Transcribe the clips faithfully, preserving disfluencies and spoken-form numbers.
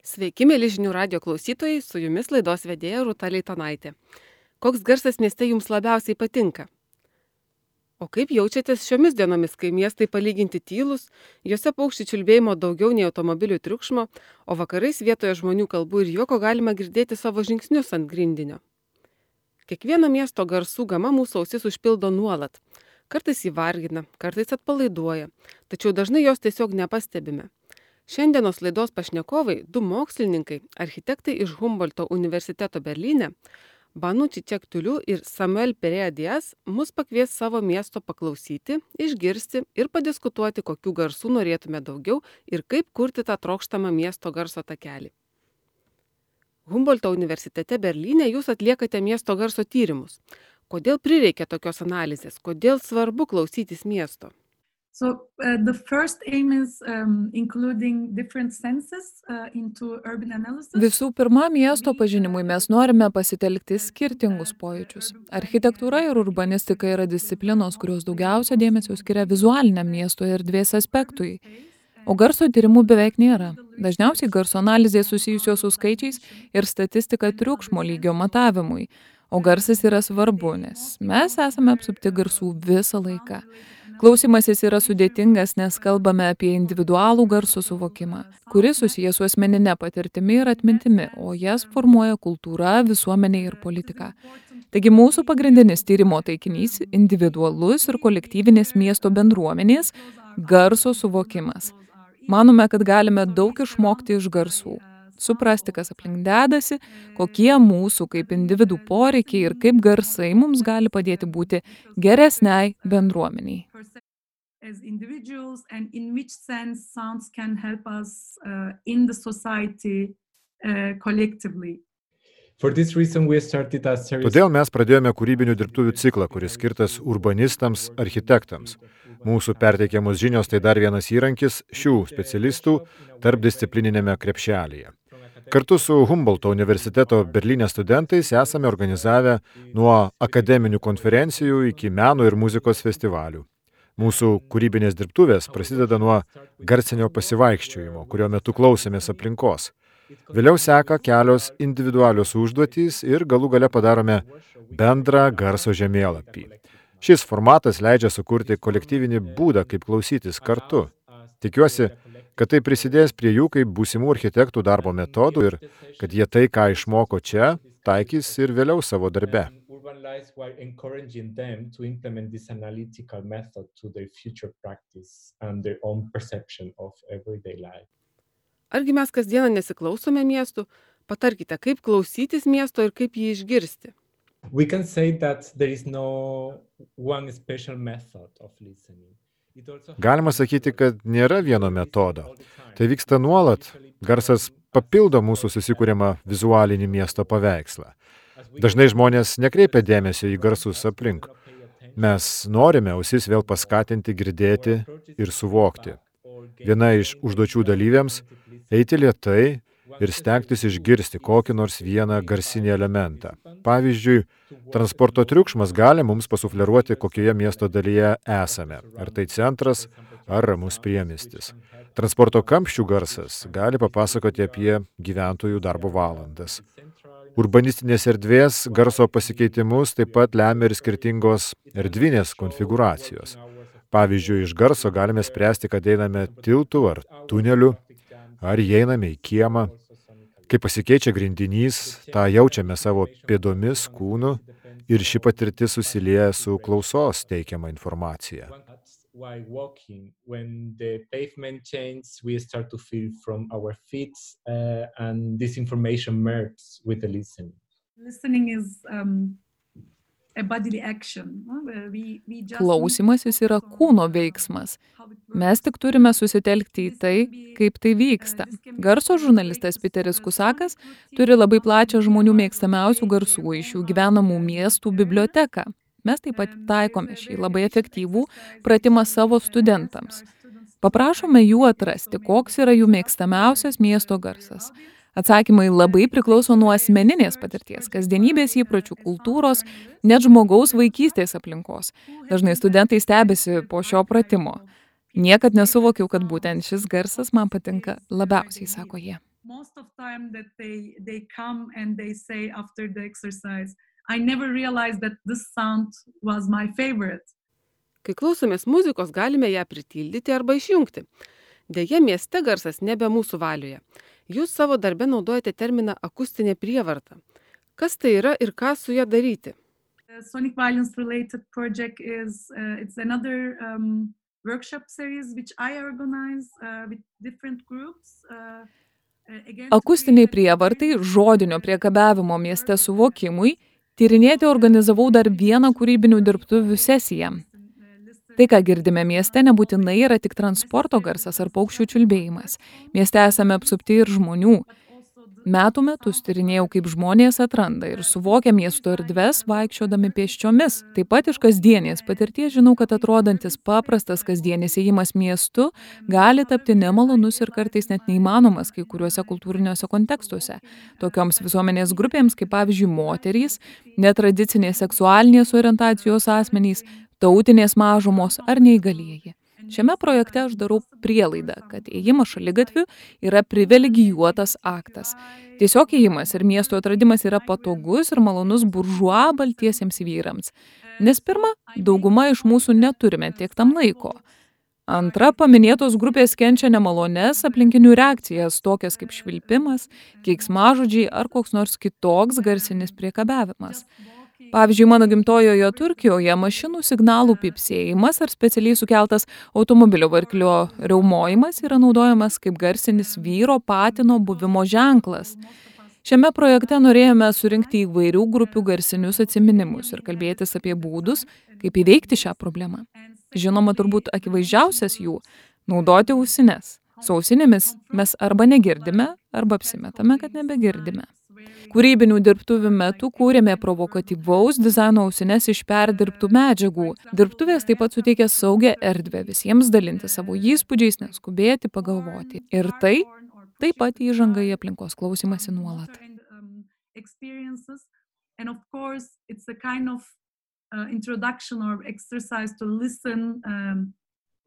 Sveiki, mėly žinių radio klausytojai, su jumis laidos vedėja Rūta Leitonaitė. Koks garsas mieste jums labiausiai patinka? O kaip jaučiatės šiomis dienomis, kai miestai palyginti tylūs, juose paukščių čiulbėjimo daugiau nei automobilių triukšmo, o vakarais vietoje žmonių kalbų ir juoko galima girdėti savo žingsnius ant grindinio? Kiekvieno miesto garsų gama mūsų ausis užpildo nuolat. Kartais jį vargina, kartais atpalaiduoja, tačiau dažnai jos tiesiog nepastebime. Šiandienos laidos pašnekovai, du mokslininkai, architektai iš Humboldto universiteto Berlyne, Banu Cicek-Tuliu ir Samuel Perea Diaz, mus pakvies savo miesto paklausyti, išgirsti ir padiskutuoti, kokių garsų norėtume daugiau ir kaip kurti tą trokštamą miesto garso takelį. Humboldto universitete Berlyne jūs atliekate miesto garso tyrimus. Kodėl prireikia tokios analizės? Kodėl svarbu klausytis miesto? So uh, the first aim is um, including different senses uh, into urban analysis. Visų pirma, miesto pažinimui mes norime pasitelkti skirtingus pojūčius. Architektūra ir urbanistika yra disciplinos, kurios daugiausia dėmesio skiria vizualiniam miesto erdvės aspektui. O garso tyrimų beveik nėra. Dažniausiai garso analizės susijusios su skaičiais ir statistika triukšmo lygio matavimui. O garsas yra svarbu, nes mes esame apsupti garsų visą laiką. Klausymasis yra sudėtingas, nes kalbame apie individualų garso suvokimą, kuris susijęs su asmeninė patirtimi ir atmintimi, o jas formuoja kultūra, visuomenė ir politika. Taigi mūsų pagrindinis tyrimo taikinys – individualus ir kolektyvinės miesto bendruomenės garso suvokimas. Manome, kad galime daug išmokti iš garsų. Suprasti, kas aplink dedasi, kokie mūsų kaip individų poreikiai ir kaip garsai mums gali padėti būti geresniai bendruomeniai. As individuals and in which sense sounds can help us uh, in the society uh, collectively. For this reason we started a series. Todėl mes pradėjome kūrybinių dirbtuvių ciklą, kuris skirtas urbanistams, architektams. Mūsų perteikiamos žinios tai dar vienas įrankis šių specialistų tarpdisciplininėme krepšelyje. Kartu su Humboldto universiteto Berlyne studentais esame organizavę nuo akademinių konferencijų iki meno ir muzikos festivalių. Mūsų kūrybinės dirbtuvės prasideda nuo garsinio pasivaikščiojimo, kurio metu klausėmės aplinkos. Vėliau seka kelios individualios užduotys ir galų gale padarome bendrą garso žemėlapį. Šis formatas leidžia sukurti kolektyvinį būdą, kaip klausytis kartu. Tikiuosi, kad tai prisidės prie jų kaip būsimų architektų darbo metodų ir kad jie tai, ką išmoko čia, taikys ir vėliau savo darbe. Argi mes kasdieną nesiklausome miestų? Patarkite, kaip klausytis miesto ir kaip jį išgirsti. We can say that there is no one special method of listening. Galima sakyti, kad nėra vieno metodo. Tai vyksta nuolat. Garsas papildo mūsų susikūrimą vizualinį miesto paveikslą. Dažnai žmonės nekreipia dėmesio į garsus aplink. Mes norime ausis vėl paskatinti girdėti ir suvokti. Viena iš užduočių dalyviams – eiti lėtai ir stengtis išgirsti kokį nors vieną garsinį elementą. Pavyzdžiui, transporto triukšmas gali mums pasufleruoti, kokioje miesto dalyje esame, ar tai centras, ar ramus priemiestis. Transporto kamščių garsas gali papasakoti apie gyventojų darbo valandas. Urbanistinės erdvės garso pasikeitimus taip pat lemia ir skirtingos erdvinės konfigūracijos. Pavyzdžiui, iš garso galime spręsti, kad einame tiltu ar tuneliu, ar įeiname į kiemą. Kai pasikeičia grindinys, tą jaučiame savo pėdomis, kūnu ir ši patirtis susilieja su klausos teikiama informacija. While walking, when the pavement changes, we start to feel from our feet uh, and this information merges with the listening. Listening is um, a bodily action. We, we just Klausymasis yra kūno veiksmas. Mes tik turime susitelkti į tai, kaip tai vyksta. Garso žurnalistas Piteris Kusakas turi labai plačią žmonių mėgstamiausių garsų iš jų gyvenamų miestų biblioteką. Mes taip pat taikome šį labai efektyvų pratimą savo studentams. Paprašome jų atrasti, koks yra jų mėgstamiausias miesto garsas. Atsakymai labai priklauso nuo asmeninės patirties, kasdienybės įpročių, kultūros, net žmogaus vaikystės aplinkos. Dažnai studentai stebisi po šio pratimo. Niekad nesuvokiau, kad būtent šis garsas man patinka labiausiai, sako jie. most of time that they they come and they say after the exercise, I never realized that this sound was my favorite. Kai klausomės muzikos, galime ją pritildyti arba išjungti. Deja, mieste garsas nebe mūsų valioje. Jūs savo darbe naudojate terminą akustinė prievarta. Kas tai yra ir ką su ja daryti? The Sonic Violence related project is uh, it's another um, workshop series which I organize uh, with different groups. Uh, again, to Akustiniai create- prievartai, žodinio priekabiavimo mieste suvokimui, tyrinėti organizavau dar vieną kūrybinių dirbtuvių sesiją. Tai, ką girdime mieste, nebūtinai yra tik transporto garsas ar paukščių čiulbėjimas. Mieste esame apsupti ir žmonių. Metų metus tyrinėjau, kaip žmonės atranda ir suvokia miesto erdves vaikščiodami pėsčiomis. Taip pat iš kasdienės patirties žinau, kad atrodantis paprastas kasdienis ėjimas miestu gali tapti nemalonus ir kartais net neįmanomas kai kuriuose kultūriniuose kontekstuose. Tokioms visuomenės grupėms, kaip pavyzdžiui moterys, netradicinės seksualinės orientacijos asmenys, tautinės mažumos ar neįgalieji. Šiame projekte aš darau prielaidą, kad ėjimas šaligatviu yra privilegijuotas aktas. Tiesiog ėjimas ir miesto atradimas yra patogus ir malonus buržua baltiesiems vyrams. Nes pirma, dauguma iš mūsų neturime tiek tam laiko. Antra, paminėtos grupės kenčia nemalonės aplinkinių reakcijas, tokias kaip švilpimas, keiksmažodžiai ar koks nors kitoks garsinis priekabiavimas. Pavyzdžiui, mano gimtojoje Turkijoje mašinų signalų pypsėjimas ar specialiai sukeltas automobilio varklio riaumojimas yra naudojamas kaip garsinis vyro patino buvimo ženklas. Šiame projekte norėjome surinkti įvairių grupių garsinius atsiminimus ir kalbėtis apie būdus, kaip įveikti šią problemą. Žinoma, turbūt akivaizdžiausias jų – naudoti ausines. Su ausinėmis mes arba negirdime, arba apsimetame, kad nebegirdime. Kūrybinių dirbtuvių metu kūrėme provokatyvaus dizaino ausines iš perdirbtų medžiagų. Dirbtuvės taip pat suteikia saugią erdvę visiems dalinti savo įspūdžiais, neskubėti, pagalvoti. Ir tai taip pat įžanga į aplinkos klausymąsi nuolat. And of course, it's a kind of uh, introduction or exercise to listen, um,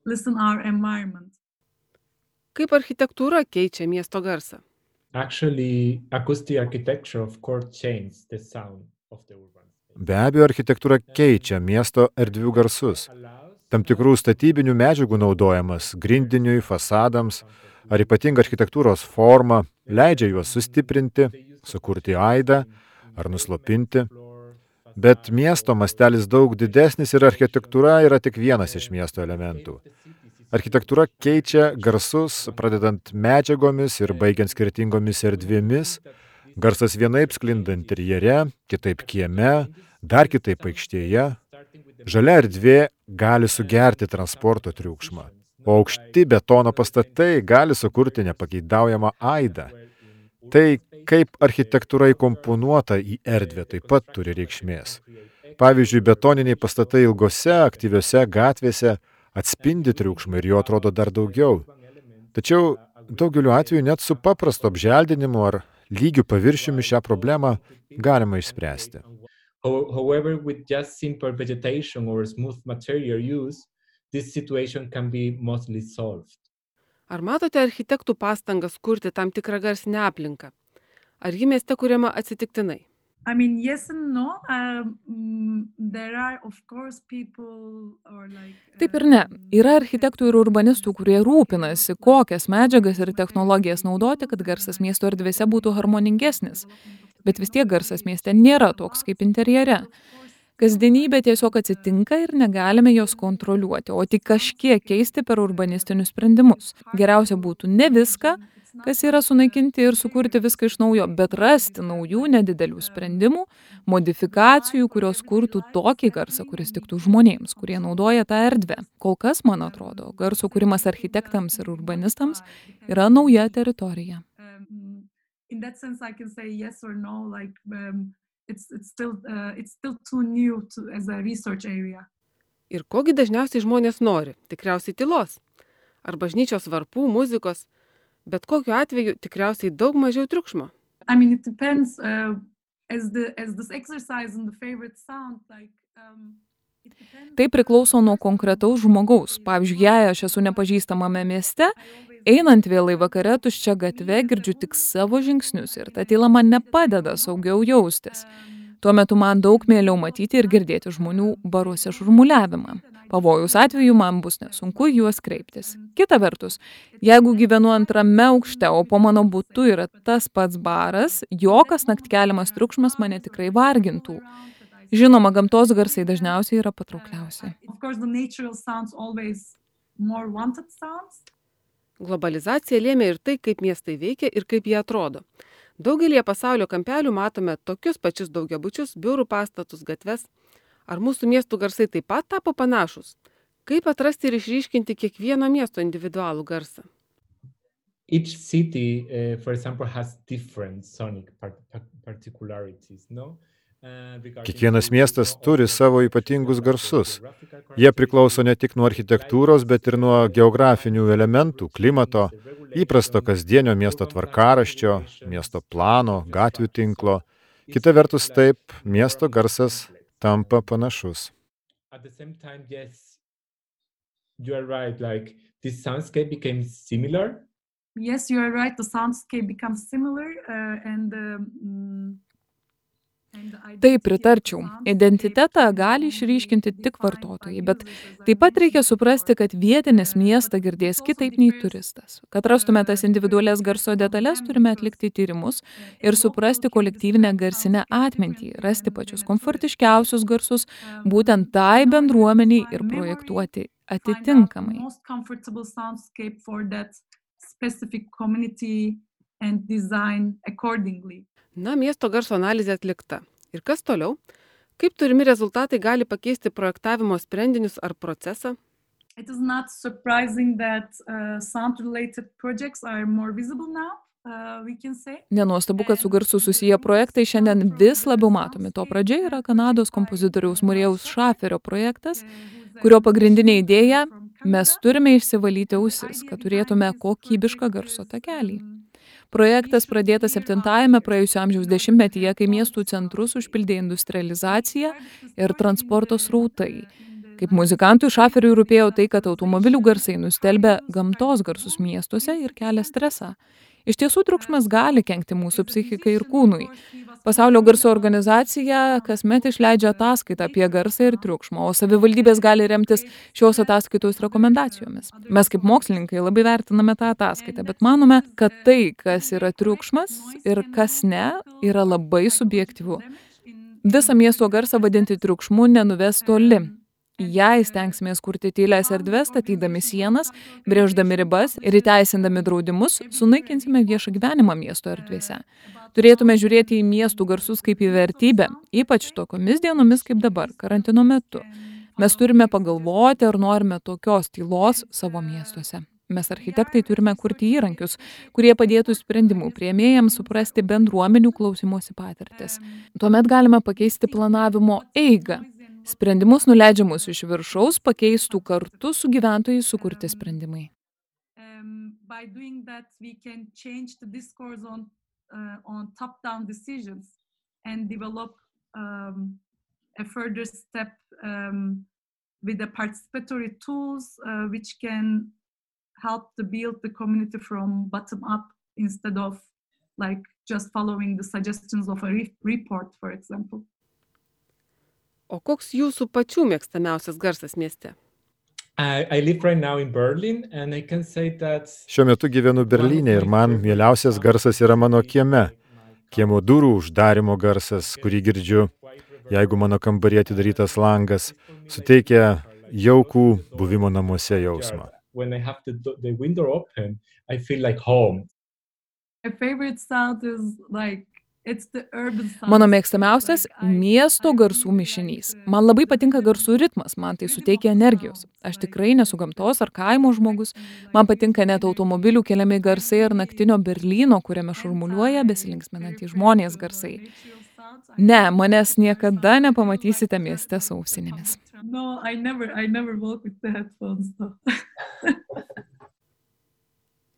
listen our environment. Kaip architektūra keičia miesto garsą? Actually, acoustic architecture of course changed the sound of the urban space. Be abejo, architektūra keičia miesto erdvių garsus. Tam tikrų statybinių medžiagų naudojimas grindiniui, fasadams ar ypatinga architektūros forma leidžia juos sustiprinti, sukurti aidą ar nuslopinti. Bet miesto mastelis daug didesnis ir architektūra yra tik vienas iš miesto elementų. Architektūra keičia garsus, pradedant medžiagomis ir baigiant skirtingomis erdvėmis. Garsas vienaip sklinda interjere, kitaip kieme, dar kitaip aikštėje. Žalia erdvė gali sugerti transporto triukšmą, o aukšti betono pastatai gali sukurti nepageidaujamą aidą. Tai, kaip architektūra įkomponuota į erdvę, taip pat turi reikšmės. Pavyzdžiui, betoniniai pastatai ilgose, aktyviose gatvėse atspindi triukšmą ir jo atrodo dar daugiau. Tačiau daugeliu atveju net su paprastu apželdinimu ar lygiu paviršiumi šią problemą galima išspręsti. However, with just simple vegetation or smooth material use, this situation can be mostly solved. Ar matote architektų pastangas kurti tam tikrą garsinę aplinką? Ar ji mieste kuriama atsitiktinai? I mean, yes and no. Um, there are, of course, people or like... Taip ir ne. Yra architektų ir urbanistų, kurie rūpinasi, kokias medžiagas ir technologijas naudoti, kad garsas miesto erdvėse būtų harmoningesnis. Bet vis tiek garsas mieste nėra toks kaip interjere. Kasdienybė tiesiog atsitinka ir negalime jos kontroliuoti, o tik kažkiek keisti per urbanistinius sprendimus. Geriausia būtų ne viską, kas yra sunaikinti ir sukurti viską iš naujo, bet rasti naujų nedidelių sprendimų, modifikacijų, kurios kurtų tokį garsą, kuris tiktų žmonėms, kurie naudoja tą erdvę. Kol kas, man atrodo, garso kūrimas architektams ir urbanistams yra nauja teritorija. Um, in that sense, I can say yes or no, like um, it's, it's, still, uh, it's still too new to, as a research area. Ir kogi dažniausiai žmonės nori? Tikriausiai tylos. Ar bažnyčios varpų, muzikos? Bet kokiu atveju tikriausiai daug mažiau triukšmo. I mean, it depends, uh, as, the, as this exercise in the favorite sound, like, um, it depends. Tai priklauso nuo konkretaus žmogaus. Pavyzdžiui, jei aš esu nepažįstamame mieste, Einant vėlai vakare tuščia gatve girdžiu tik savo žingsnius ir ta tyla man nepadeda saugiau jaustis. Tuo metu man daug mieliau matyti ir girdėti žmonių baruose šurmuliavimą. Pavojaus atveju man bus nesunku juos kreiptis. Kita vertus, jeigu gyvenu antrame aukšte, o po mano butu yra tas pats baras, jokas naktį keliamas triukšmas mane tikrai vargintų. Žinoma, gamtos garsai dažniausiai yra patraukliausi. Globalizacija lėmė ir tai, kaip miestai veikia ir kaip jie atrodo. Daugelie pasaulio kampelių matome tokius pačius daugiabučius, biurų pastatus, gatves. Ar mūsų miestų garsai taip pat tapo panašus? Kaip atrasti ir išryškinti kiekvieno miesto individualų garsą? Each city, uh, for example, has different sonic particularities, no? Kiekvienas miestas turi savo ypatingus garsus. Jie priklauso ne tik nuo architektūros, bet ir nuo geografinių elementų, klimato, įprasto kasdienio miesto tvarkaraščio, miesto plano, gatvių tinklo. Kita vertus taip, miesto garsas tampa panašus. At the same time, yes, you are right, like this soundscape became similar. Yes, you are right, the soundscape becomes similar uh, and um, Taip, pritarčiau. Identitetą gali išryškinti tik vartotojai, bet taip pat reikia suprasti, kad vietinis miestą girdės kitaip nei turistas. Kad rastume tas individualias garso detalės, turime atlikti tyrimus ir suprasti kolektyvinę garsinę atmintį, rasti pačius komfortiškiausius garsus, būtent tai bendruomeniai ir projektuoti atitinkamai. Na, miesto garso analizė atlikta. Ir kas toliau? Kaip turimi rezultatai gali pakeisti projektavimo sprendinius ar procesą? It is not surprising that uh, sound-related projects are more visible now, uh, we can say. Nenuostabu, kad su garsu susiję projektai šiandien vis labiau matomi. To pradžia yra Kanados kompozitoriaus Murėjaus Šaferio projektas, kurio pagrindinė idėja – mes turime išsivalyti ausis, kad turėtume kokybišką garso takelį. Projektas pradėtas septintajame praėjusio amžiaus dešimtmetyje, kai miestų centrus užpildė industrializacija ir transporto srautai. Kaip muzikantui Šaferiui rūpėjo tai, kad automobilių garsai nustelbia gamtos garsus miestuose ir kelia stresą. Iš tiesų, triukšmas gali kenkti mūsų psichikai ir kūnui. Pasaulio garso organizacija kasmet išleidžia ataskaitą apie garsą ir triukšmą, o savivaldybės gali remtis šios ataskaitos rekomendacijomis. Mes kaip mokslininkai labai vertiname tą ataskaitą, bet manome, kad tai, kas yra triukšmas ir kas ne, yra labai subjektyvu. Visą miesto garsą vadinti triukšmu nenuves toli. Jei stengsimės kurti tylias erdves, statydami sienas, brėždami ribas ir įteisindami draudimus, sunaikinsime viešą gyvenimą miesto erdvėse. Turėtume žiūrėti į miestų garsus kaip į vertybę, ypač tokiomis dienomis kaip dabar, karantino metu. Mes turime pagalvoti, ar norime tokios tylos savo miestuose. Mes architektai turime kurti įrankius, kurie padėtų sprendimų priėmėjams suprasti bendruomenių klausymosi patirtis. Tuomet galime pakeisti planavimo eigą. Sprendimus nuleidžiamus iš viršaus pakeistų kartu su gyventojais sukurti sprendimai. Um, by doing that, we can change the discourse on, uh, on top-down decisions and develop um, a further step um, with the participatory tools uh, which can help to build the community from bottom up instead of like just following the suggestions of a re- report, for example. O koks jūsų pačių mėgstamiausias garsas mieste? I, I live right now in Berlin and I can say that Šiuo metu gyvenu Berlyne ir man mieliausias garsas yra mano kieme. Kiemo durų uždarimo garsas, kurį girdžiu, jeigu mano kambaryje atidarytas langas, suteikia jaukų buvimo namuose jausmą. when I have the, the window open, I feel like home. My favorite sound is like it's the urban sound. Mano mėgstamiausias miesto garsų mišinys. Man labai patinka garsų ritmas, man tai suteikia energijos. Aš tikrai nesu gamtos ar kaimo žmogus. Man patinka net automobilių keliami garsai ar naktinio Berlyno, kuriame šurmuliuoja besilinksminantys žmonės garsai. Ne, manęs niekada nepamatysite mieste su ausinėmis. No, I never, I never walk with the headphones though.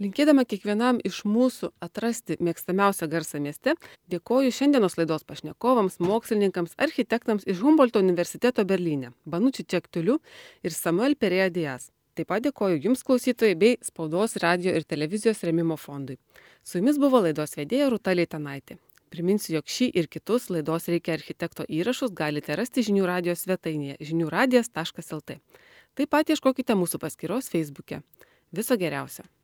Linkėdama kiekvienam iš mūsų atrasti mėgstamiausią garsą mieste, dėkoju šiandienos laidos pašnekovams, mokslininkams, architektams iš Humboldto universiteto Berlyne, Banucci Čektuliu ir Samuel Perea Diaz. Taip pat dėkoju Jums klausytojai bei Spaudos, radio ir televizijos rėmimo fondui. Su Jumis buvo laidos vedėja Rūta Leitanaitė. Priminsiu, jog šį ir kitus laidos Reikia architekto įrašus galite rasti žinių radijos svetainėje žinių radijas taškas el tė. Taip pat ieškokite mūsų paskyros Facebook'e. Viso geriausio.